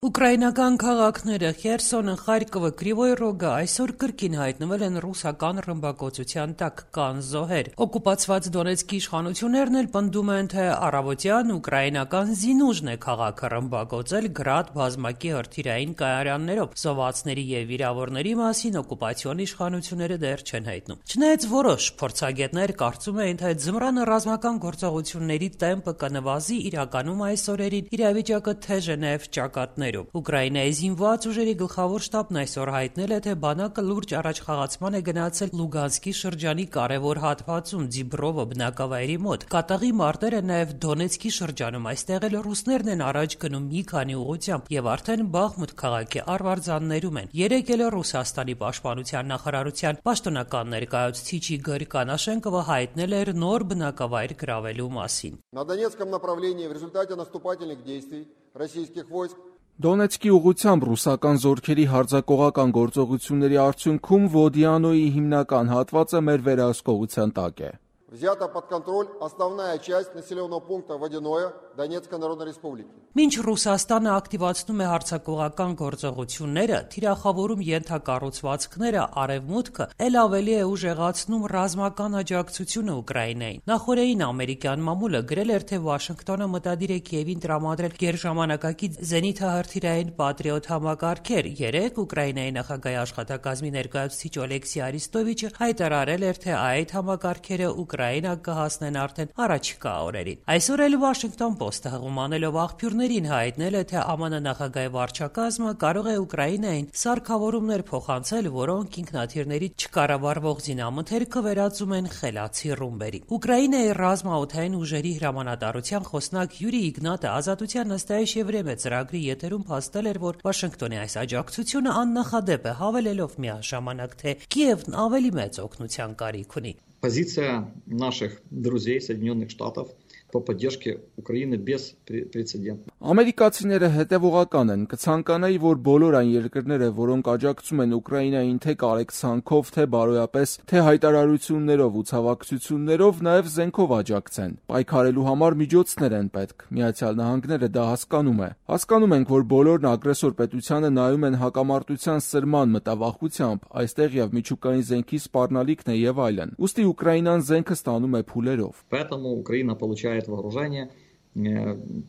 Ուկրաինական քաղաքները Խերսոնը, Խարկովը, Կրիվոյ Ռոգը այսօր կրկին հայտնվել են ռուսական ռմբակոծության տակ, կան զոհեր։ Օկուպացված Դոնեցկի իշխանություններն էլ պնդում են, թե առավոտյան ուկրաինական Զինուժն է քաղաքը ռմբակոծել գրադ բազմակի հրթիռային կայարաններով։ Զոհվածների եւ վիրավորների մասին օկուպացիոն իշխանությունները դեռ չեն հայտնում։ Չնայած որոշ փորձագետներ կարծում էին, թե ձմռանը ռազմական գործողությունների տեմպը կնվազի, իրականում այս օրերին իրավիճակը թեժ է նաեւ ճակատներում։ Ուկրաինայի զինված ուժերի գլխավոր շտաբն այսօր հայտնել է, թե բանակը լուրջ առաջխաղացման է գնացել Լուգանսկի շրջանի կարևոր հատվածում Դիբրովո բնակավայրի մոտ։ Կատաղի մարտերը նաև Դոնեցկի շրջանում, այստեղ էլ ռուսներն են առաջ գնում մի քանի ուղղությամբ եւ արդեն Բախմուտ քաղաքի արվարձաններում են։ Երեկ էլ Ռուսաստանի պաշտպանության նախարարության պաշտոնական ներկայացուցիչ Իգոր Կանաշենկովը հայտնել էր նոր բնակավայր գրավելու մասին։ На Донецком направлении в результате наступательных действий российских войск Դոնեցկի ուղղությամբ ռուսական զորքերի հարձակողական գործողությունների արդյունքում Վոդիանոյի հիմնական հատվածը մեր վերահսկողության տակ է։ Взята под контроль основная часть населенного пункта Водяное Донецкой Народной Республики. Մինչ Ռուսաստանը ակտիվացնում է հարձակողական գործողությունները, թիրախավորում ենթակառուցվածքները, արևմուտքը ել ավելի է ուժեղացնում ռազմական աջակցությունը Ուկրաինային։ Նախորդին ամերիկյան մամուլը գրել էր, թե Վաշինգտոնը մտադիր է Կիևին տրամադրել գերժամանակակից զենիթահրթիռային Պատրիոտ համակարգեր։ Երեկ Ուկրաինայի նախագահի աշխատակազմի ներկայացուցիչ Օլեքսի Արիստովիչը հայտարարել էր, թե այդ համակարգերը Ուկրաինա կհասնեն արդեն առաջիկա օրերին։ Այսօր էլ Washington Post-ը հղումանելով աղբյուրներին հայտնել է, թե ԱՄՆ նախագահի վարչակազմը կարող է Ուկրաինային սարքավորումներ փոխանցել, որոնք ինքնաթիռների չկառավարվող զինամթերքը վերածում են խելացի ռումբերի։ Ուկրաինայի ռազմաօդային ուժերի հրամանատարության խոսնակ Յուրի Իգնատը Ազատության նստայիչ Եվրեմե ծրագրի եթերում փաստել էր, որ Վաշինգտոնի այս աջակցությունը աննախադեպ է, հավելելով միաժամանակ, թե Կիևն ավելի մեծ օգնության կարիք ունի։ Позиция наших друзей Соединенных Штатов по поддержке Украины беспрецедентна. Ամերիկացիները հետևողական են, կցանկանայի, որ բոլոր այն երկրները, որոնք աջակցում են Ուկրաինային թե կարեկցանքով, թե բարոյապես, թե հայտարարություններով ու ցավակցություններով, նաև զենքով աջակցեն։ Պայքարելու համար միջոցներ են պետք։ Միացյալ Նահանգները դա հասկանում է։ Հասկանում ենք, որ բոլորն ագրեսոր պետությանը նայում են հակամարտության սրման մտավախությամբ, այստեղ եւ միջուկային զենքի սպառնալիքն է եւ այլն։ Ուստի Ուկրաինան զենքը ստանում է փուլերով։ Поэтому Украина получает вооружение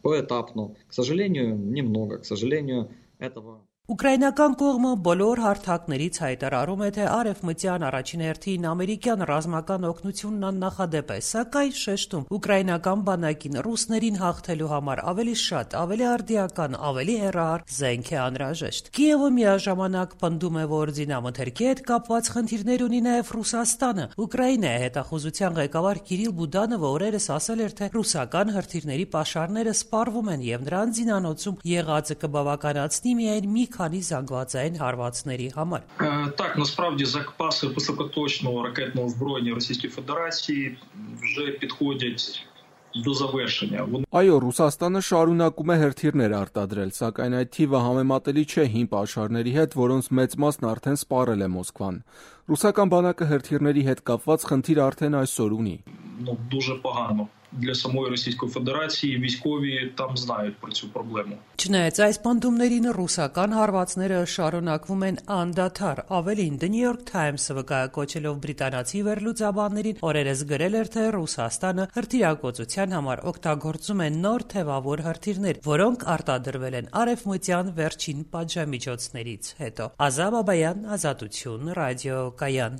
поэтапно. К сожалению, немного. К сожалению, этого... Ուկրաինական կողմը բոլոր հարթակներից հայտարարում է, թե արևմտյան առաջին հերթին ամերիկյան ռազմական օգնությունն աննախադեպ է, սակայն շեշտում ուկրաինական բանակին ռուսներին հաղթելու համար ավելի շատ, ավելի արդիական, ավելի հեռահար զենք է անհրաժեշտ։ Կիևը միաժամանակ պնդում է, որ զինամթերքի հետ կապված խնդիրներ ունի նաև Ռուսաստանը։ Ուկրաինայի հետախուզության ղեկավար Կիրիլ Բուդանովը օրերս ասել էր, թե ռուսական հրթիռների պաշարները սպառվում են եւ նրանց զինանոցում եղածը կբավականացնի միայն մի քանի զանգվածային հարվածների համար։ Так, насправді запаси високоточного ракетного озброєння Російської Федерації вже підходять до завершення. Այո, Ռուսաստանը շարունակում է հրթիռներ արտադրել, սակայն այդ թիվը համեմատելի չէ հին պաշարների հետ, որոնց մեծ մասն արդեն սպառել է Մոսկվան։ Ռուսական բանակը հրթիռների հետ կապված խնդիր արդեն այսօր ունի։ Дуже погано. Для самої Російської Федерації військові там знають про цю проблему. Չնայած այս պնդումներին ռուսական հարվածները շարունակվում են անդադար։ Ավելին, The New York Times-ը վկայակոչելով բրիտանացի վերլուծաբաններին օրերս գրել էր, թե Ռուսաստանը հրթիռակոծության համար օգտագործում է նոր թևավոր հրթիռներ, որոնք արտադրվել են արևմտյան վերջին պատժամիջոցներից հետո։ Ազա Բաբայան, Ազատություն, ռադիո Կայան։